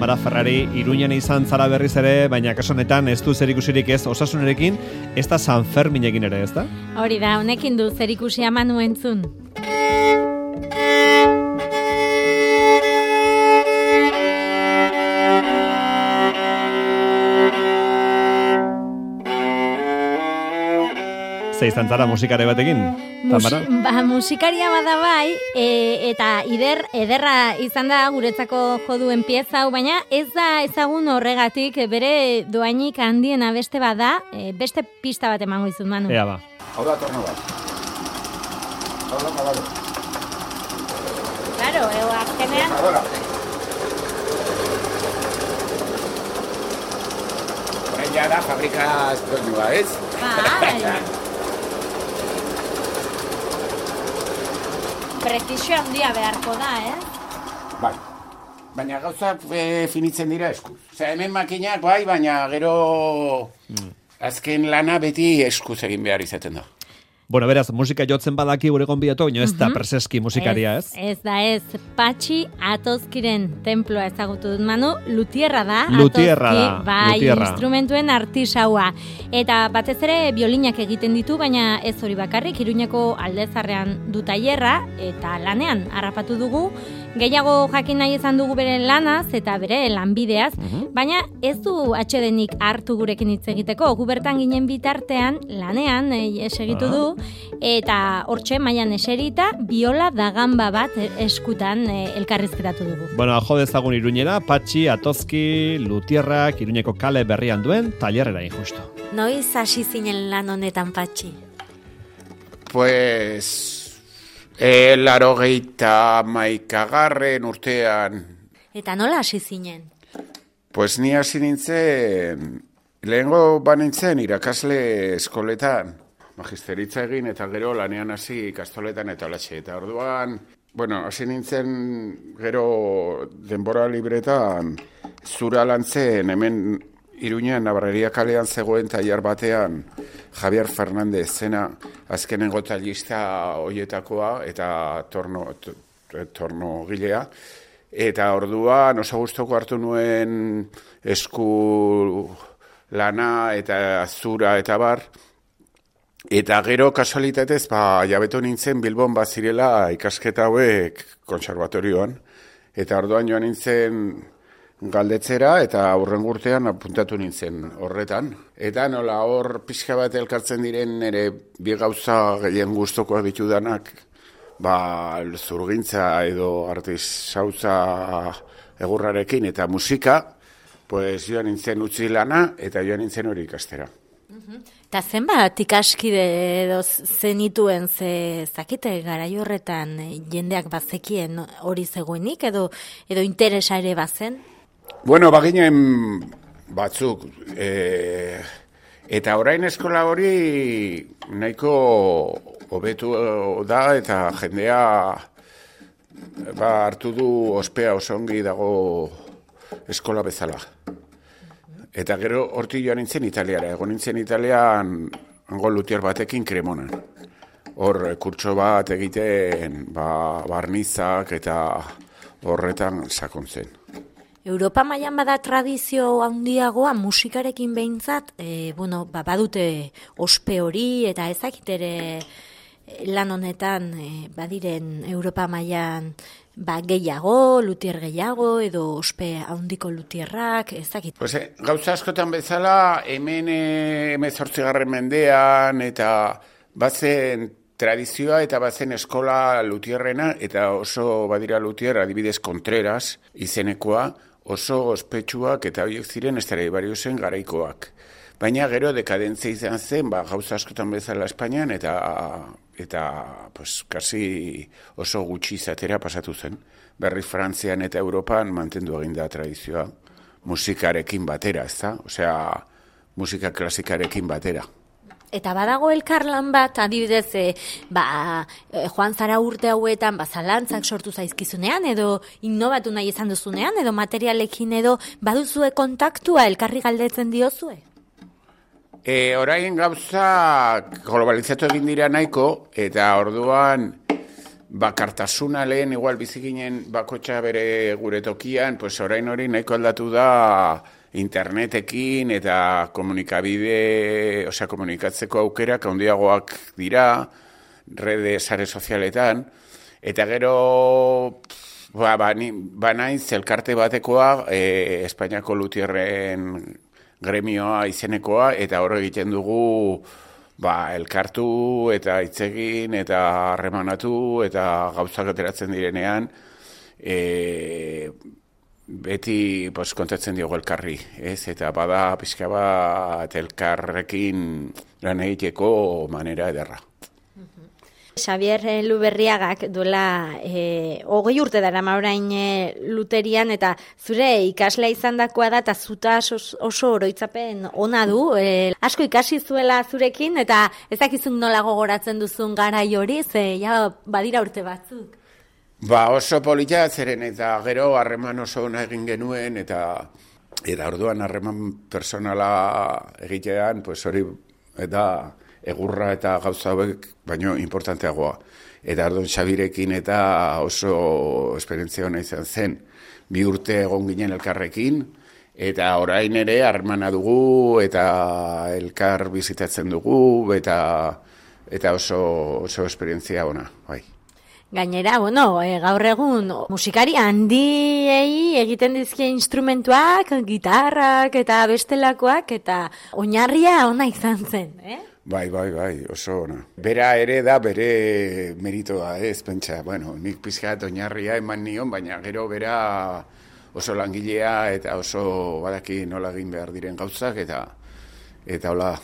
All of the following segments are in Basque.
Tamara Ferrari, Iruñan izan zara berriz ere, baina kaso honetan ez du zerikusirik ez Osasunarekin, ez da San Ferminekin ere, ez da? Hori da, honekin du zerikusia Manu entzun. Izan zara musikare batekin, Tamara? Musikaria bada bai, eta ederra izan da guretzako joduen pieza hau, baina ez da ezagun horregatik bere doainik handiena beste bada, beste pista bat emango izun, Manu. Ea ba. Hau da torno bat. Hau da kabalo. Claro, azkenean... Horrein ja da fabrikaz doinua, ez? Prezisio handia beharko da, Bai, baina gauzak finitzen dira eskuz. Osea, hemen makinak bai, baina gero azken lana beti eskuz egin behar izaten da. Bueno, beraz, musika jotzen badaki gure gonbidatu, baina ez da preseski musikaria, ez? Ez da, Patxi Atozkiren temploa ezagutu dut, Manu, lutierra da. Lutierra da, bai, lutierra. Instrumentuen artisaua. Eta batez ere biolinak egiten ditu, baina ez hori bakarrik, Iruñeko Aldezarrean du tailerra, eta lanean harrapatu dugu, gehiago jakin nahi izan dugu bere lanaz eta bere lanbideaz, baina ez du atsedenik hartu gurekin hitz egiteko. Gu bertan ginen bitartean, lanean segitu du, eta hortxe mailan eserita biola da gamba bat eskutan elkarrizketatu dugu. Bueno, jo dezagun Iruñera, Patxi Atozki Lutierrak Iruñeko kale berrian duen tailerrera injusto. Noiz hasi zinen lan honetan, Patxi? Pues... 81. urtean. Eta nola hasi zinen? Pues ni hasi nintzen, lehengo banintzen irakasle eskoletan, magisteritza egin eta gero lanean hasi ikastoletan eta olatxe. Eta orduan, bueno, hasi nintzen gero denbora libretan zura lantzen hemen Iruñan Nabarreria kalean zegoen tailer batean Javier Fernández zena azkenengo tailista hoietakoa eta torno gilea. Eta orduan oso gustoko hartu nuen esku lana eta zura eta bar. Eta gero kasualitatez, jabetu nintzen Bilbon bazirela ikasketa hauek kontserbatorioan. Eta orduan joan nintzen galdetzera eta aurrengo urtean apuntatu nintzen horretan. Eta nola hor pixka bat elkartzen diren ere bi gauza gehien gustokoak ditudanak, zurgintza edo artisautza egurrarekin eta musika, pues joan nintzen utzi lana eta joan nintzen hori ikastera. Eta zenbat ikaskide edo zenituen zakite garai horretan jendeak bazekien hori zegoenik edo interesa ere bazen? Bueno, baginen batzuk, eta orain eskola hori nahiko hobetu da eta jendea hartu du ospea oso ongi dago eskola bezala. Eta gero hortik joan nintzen Italiara, egon nintzen Italian hango lutier batekin Cremonan. Hor kurtso bat egiten barnizak eta horretan sakontzen. Europa mailan bada tradizio handiagoa musikarekin behintzat, badute ospe hori eta ezakit ere lan honetan badiren Europa mailan gehiago, lutier gehiago edo ospe handiko lutierrak, ezakit. Pues, gauza askotan bezala hemen 18. mendean eta bazen tradizioa eta bazen eskola lutierrena eta oso badira lutier adibidez Contreras izenekoa, oso ospetsuak eta horiek ziren Stradivariusen garaikoak. Baina gero dekadentzia izan zen, gauza askotan bezala Espainian eta pues, kasi oso gutxi izatera pasatu zen. Berri Frantzian eta Europan mantendu egin da tradizioa musikarekin batera, ezta? Osea, musika klasikarekin batera. Eta badago elkarlan bat, adibidez, joan zara urte hauetan, zalantzak sortu zaizkizunean, edo innobatu nahi izan duzunean, edo materialekin, edo baduzue kontaktua elkarri galdetzen diozue? Orain gauza globalizatu egin dira nahiko, eta orduan, bakartasuna lehen, igual biziginen bakotxa bere gure tokian, pues orain hori nahiko aldatu da internetekin eta komunikabide, osea, komunikatzeko aukerak handiagoak dira, rede sare sozialetan, eta gero banaiz elkarte batekoa, Espainiako lutierren gremioa izenekoa, eta hor egiten dugu elkartu eta hitzegin eta harremanatu eta gauzak ateratzen direnean, beti kontatzen diogu elkarri, ez? Eta bada pixka bat elkarrekin lan egiteko manera ederra. Xabier Luberriagak duela 20 urte darama orain luterian, eta zure ikaslea izandakoa da, eta zuta oso oroitzapen ona du, asko ikasi zuela zurekin, eta ez dakizun nola gogoratzen duzun garai hori, ze ja badira urte batzuk. Oso polita zeren, eta gero harreman oso ona egin genuen, eta orduan harreman personala egitean, hori eta egurra eta gauza hauek baino importanteagoa. Eta orduan Xabirekin eta oso esperientzia ona izan zen. 2 urte egon ginen elkarrekin, eta orain ere harremana dugu, eta elkar bizitatzen dugu, eta oso esperientzia ona, bai. Gainera, gaur egun musikari handiei egiten dizkie instrumentuak, gitarrak eta bestelakoak, eta oinarria ona izan zen, Bai, oso ona. Bera ere da bere meritoa, ez pentsa. Nik pizkat oinarria eman nion, baina gero bera oso langilea eta oso badaki nola egin behar diren gauzak, eta hola.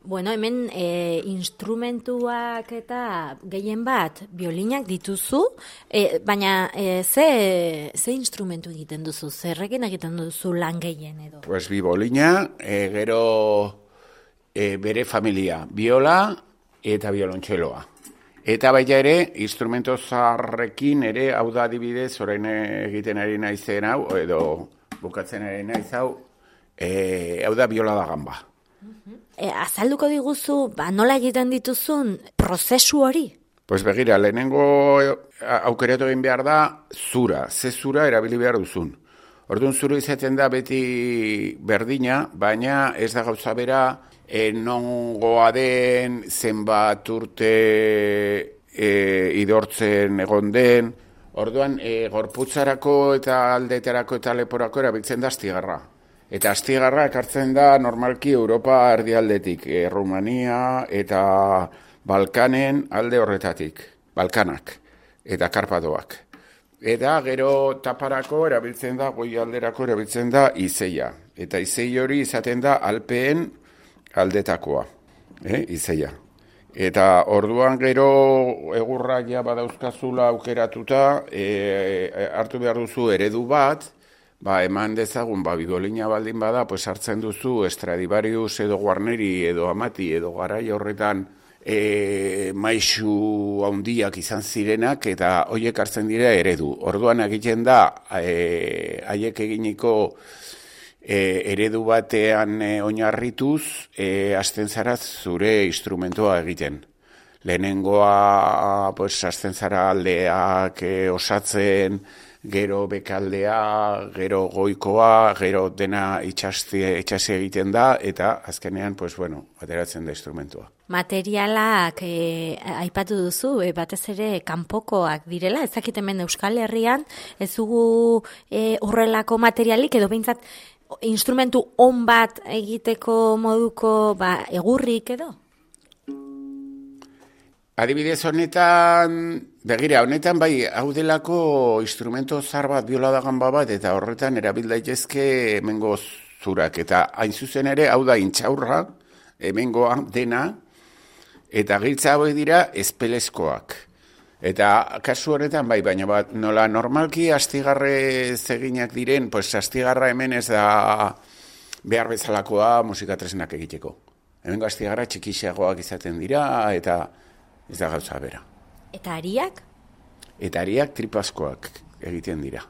Hemen instrumentuak eta gehien bat biolinak dituzu, baina ze instrumentu egiten duzu? Zerrekin egiten duzu lan gehien edo? Bi bolina, gero bere familia, biola eta biolontxeloa. Eta baita ere, instrumento zaharrekin ere, hau da adibidez, orain egiten ari naizen hau, edo bukatzen ari naiz hau, hau da biola da gamba. Azalduko diguzu, nola egiten dituzun prozesu hori? Begira, lehenengo aukeratu egin behar da zura, ze zura erabili behar duzun. Orduan zuru izaten da beti berdina, baina ez da gauza bera, nongoa den, zenbat urte idortzen egon den. Orduan, gorputzarako eta aldeetarako eta leporako erabiltzen da astigarra. Eta astigarra ekartzen da normalki Europa erdialdetik, Rumania eta Balkanen alde horretatik, Balkanak eta Karpatoak. Eta gero taparako erabiltzen da, goi alderako erabiltzen da izeia. Eta izei hori izaten da Alpeen aldetakoa, izeia. Eta orduan gero egurrak ja badauzkazula aukeratuta, hartu behar duzu eredu bat, eman dezagun, bigolina baldin bada, hartzen duzu Stradivarius edo Guarneri edo Amati edo garai horretan maisu handiak izan zirenak, eta horiek hartzen dira eredu. Orduan egiten da, haiek eginiko eredu batean oinarrituz, hasten zara zure instrumentoa egiten. Lehenengoa, hasten zara aldeak osatzen, gero bekaldea, gero goikoa, gero dena itxasi egiten da, eta azkenean, ateratzen da instrumentua. Materialak aipatu duzu, batez ere kanpokoak direla, ez dakit hemen Euskal Herrian, ez dugu horrelako materialik, edo behintzat instrumentu on bat egiteko moduko egurrik edo? Adibidez honetan, begira, honetan hau delako instrumento zar bat, biola da gamba bat, eta horretan erabil daitezke hemengo zurak. Eta hain zuzen ere, hau da intxaurra, hemengoa dena, eta giltza hauek dira espelezkoak. Eta kasu horretan baina nola normalki astigarre eginak diren, astigarra hemen ez da behar bezalakoa musikatresnak egiteko. Hemengo astigarra txikixeagoak izaten dira, eta ez da gauza bera. Eta ariak? Eta ariak tripaskoak egiten dira.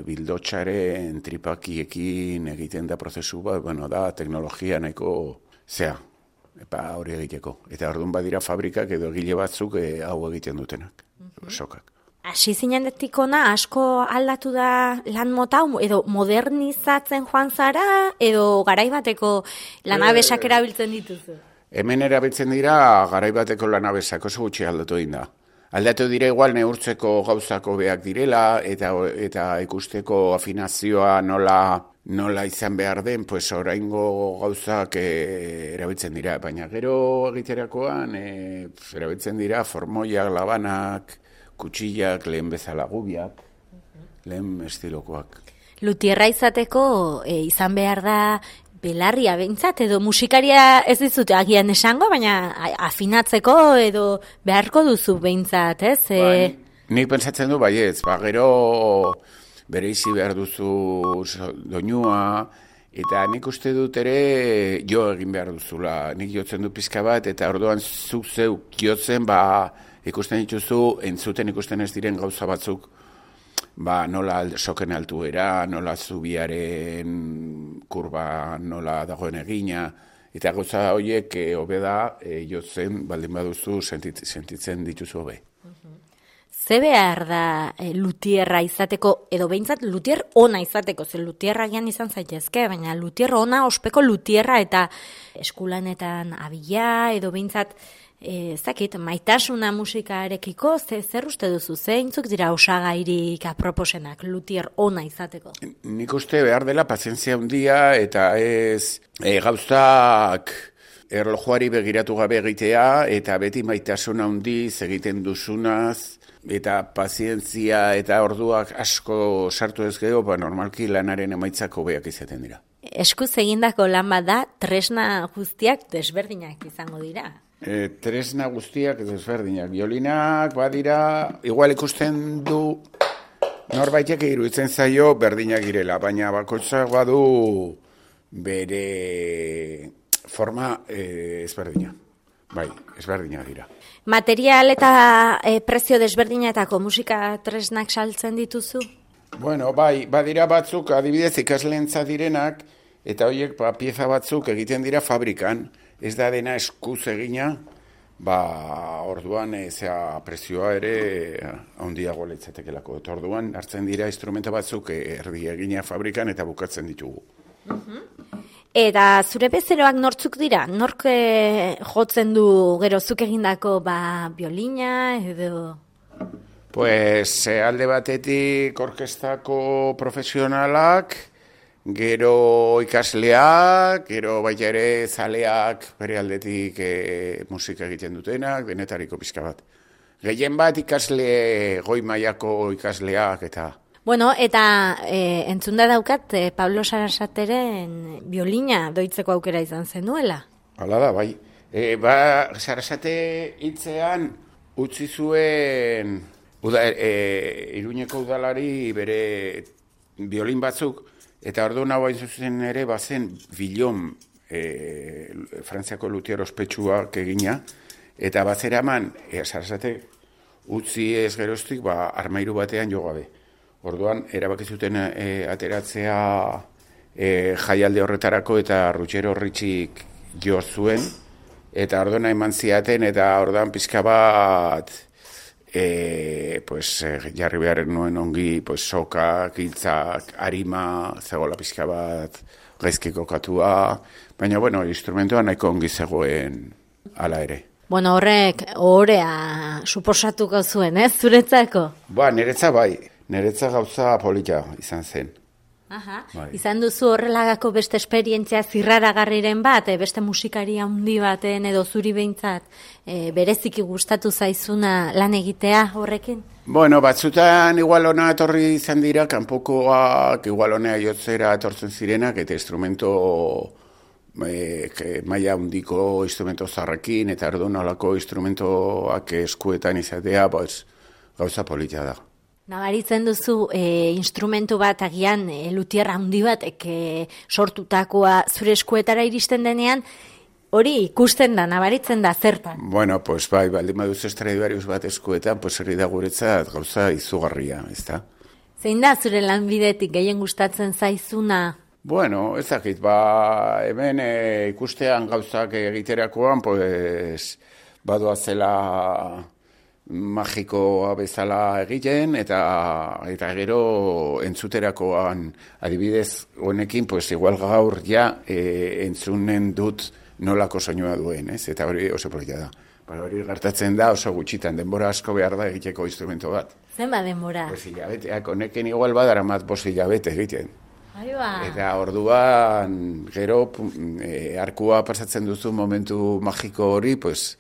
Bildotxaren tripakiekin egiten da prozesu bat, da teknologia nahiko zea. hori egiteko. Eta orduan badira fabrikak edo egile batzuk hau egiten dutenak, sokak. Hasi zinendetik ona asko aldatu da lan mota, edo modernizatzen joan zara, edo garaibateko lanabesak erabiltzen dituzu? Hemen erabiltzen dira garaibateko lanabesak oso gutxi aldatu egin da. Aldatu dira igual neurtzeko gauzako beak direla, eta ikusteko afinazioa nola izan behar den, pues oraingo gauzak erabiltzen dira. Baina gero egiterakoan erabiltzen dira formoiak, labanak, kutxillak, lehen bezala gubiak, lehen estilokoak. Lutierra izateko izan behar da belarria behintzat, edo musikaria ez dizute agian esango, baina afinatzeko edo beharko duzu behintzat, ez? Nik pentsatzen du baietz, gero bereizi behar duzu doinua, eta nik uste dut ere jo egin behar duzula. Nik jotzen du pizka bat, eta orduan zuk zeuk jotzen, ikusten dituzu, entzuten ikusten ez diren gauza batzuk, nola soken altuera, nola zubiaren kurba, nola dagoen egina, eta gauza horiek hobe da, jotzen baldin baduzu sentitzen dituzu hobe. Ze behar da lutierra izateko, edo behintzat lutier ona izateko, ze lutierra gian izan zaitezke, baina lutier ona ospeko lutierra eta eskulanetan abila, edo behintzat maitasuna musikarekiko, zer uste duzu, zeintzuk dira osagairik aproposenak lutier ona izateko? Nik uste behar dela pazientzia handia eta ez gauzak erlojuari begiratu gabe egitea eta beti maitasuna handiz egiten duzunaz eta pazientzia eta orduak asko sartu ez gero, normalki lanaren emaitzako beak izaten dira. Eskuz egindako lan bat da, tresna guztiak desberdinak izango dira. Tresna guztiak desberdinak. Biolinak badira, igual ikusten du norbaitek iruditzen zaio berdinak girela, baina bakoitzak badu bere forma ezberdina. Bai, ezberdinak dira. Material eta prezio desberdinetako musika tresnak saltzen dituzu? Bueno, bai, badira batzuk, adibidez ikaslentza direnak, eta horiek pieza batzuk egiten dira fabrikan, ez da dena eskuz egina, orduan prezioa ere handiago litzatekelako. Orduan hartzen dira instrumenta batzuk erdi egina fabrikan eta bukatzen ditugu. Eta zure bezeroak nortzuk dira? Nork jotzen du gero zuk egindako biolina edo? Pues alde batetik orkestako profesionalak, gero ikasleak, gero baita ere zaleak bere aldetik musika egiten dutenak, denetariko pizka bat. Gehien bat ikasle goi mailako ikasleak eta... Bueno, eta entzunda daukat Pablo Sarasateren biolina doitzeko aukera izan zenuela. Hala da, bai. Sarasate hitzean utzi zuen Iruñeko udalari bere biolin batzuk, eta orduan hau hain zuzen ere bazen Villon, Frantziako lutier ospetsuak egina, eta bazeraman Sarasate utzi ez geroztik armairu batean jo gabe. Orduan, erabaki zuten ateratzea jaialde horretarako eta Rutxero Ritxik jo zuen, eta orduan eman ziaten, eta orduan pizka bat jarri behar nuen ongi sokak, hiltzak, arima, zegoela pizka bat gaizkiko katua, baina, instrumentoa nahiko ongi zegoen hala ere. Bueno, horrek ohorea suposatuko zuen, zuretzako? Niretza bai. Niretza gauza polita izan zen. Aha. Bai. Izan duzu horrelagako beste esperientzia zirraragarriren bat, beste musikaria handi baten edo zuri behintzat, bereziki gustatu zaizuna lan egitea horrekin? Batzutan igual ona etorri izan dira, kanpokoak igual honea jotzera etortzen zirenak, eta instrumento maila handiko instrumento zarrekin, eta orduan nolako instrumentoak eskuetan izatea, gauza polita da. Nabaritzen duzu instrumentu bat agian lutierra handi batek sortutakoa zure eskuetara iristen denean, hori ikusten da, nabaritzen da zertan. Bai, baldin baduzu Stradivarius bat eskuetan, herri da guretzat gauza izugarria, ez da? Zein da zure lanbidetik gehien gustatzen zaizuna? Bueno, ez dakit, hemen ikustean gauzak egiterakoan, pues, badoazela magikoa bezala egiten, eta gero entzuterakoan, adibidez honekin, pues, igual gaur ja entzunen dut nolako soinua duen, ez? Eta hori oso polita da. Hori gertatzen da oso gutxitan, denbora asko behar da egiteko instrumento bat. Zenba denbora? Pues hilabeteak, honekin igual badaramat 5 hilabete egiten. Aiba. Eta orduan, gero, arkua pasatzen duzu momentu magiko hori, pues,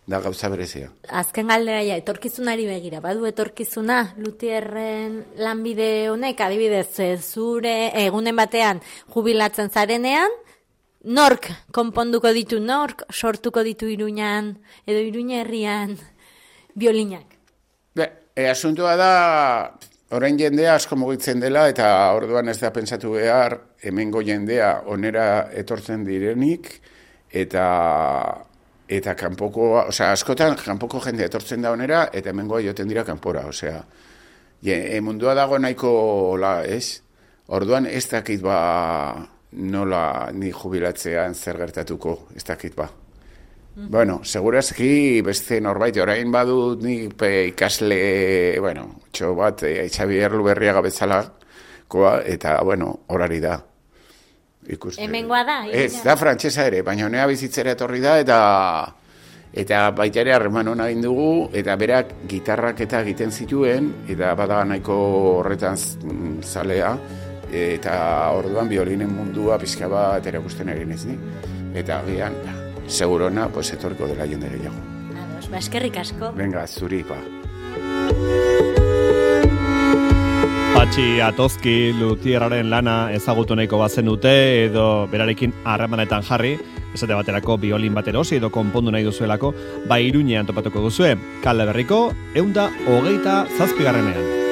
da gauza berezia. Azken galdera ja, etorkizunari begira, badu etorkizuna, Luthierren lanbide honek, adibidez, zure egunen batean jubilatzen zarenean, nork konponduko ditu, nork sortuko ditu Iruñan, edo Iruña herrian, biolinak? Asuntua da, orain jendea asko mugitzen dela, eta orduan ez da pentsatu behar, hemengo jendea onera etortzen direnik, eta kanpoko, askotan kanpoko jendea etortzen da onera, eta hemengoa joten dira kanpora, mundua dago nahiko ez? Orduan ez dakit nola ni jubilatzean zer gertatuko, ez dakit Bueno, segurazki beste norbait, orain badut ni ikasle, txo bat, Xabier Luberriaga bezalakoa, eta, horari da. Hemengoa da? Ez, da frantsesa ere, baina honea bizitzera etorri da, eta baita ere harreman hona egin dugu, eta berak gitarrak eta egiten zituen, eta bada nahiko horretan zalea, eta orduan biolinen mundua pixka bat erakusten egin ez ni. Eta bian, segurona, etorko dela jende gehiago. Ados, eskerrik asko. Venga, zuri, Patxi Atozki Luthierraren lana ezagutu nahiko bazen dute, edo berarekin harremanetan jarri, esate baterako biolin bat erosi edo konpondu nahi duzuelako, Iruñean topatuko duzue, Kale Berriko 127.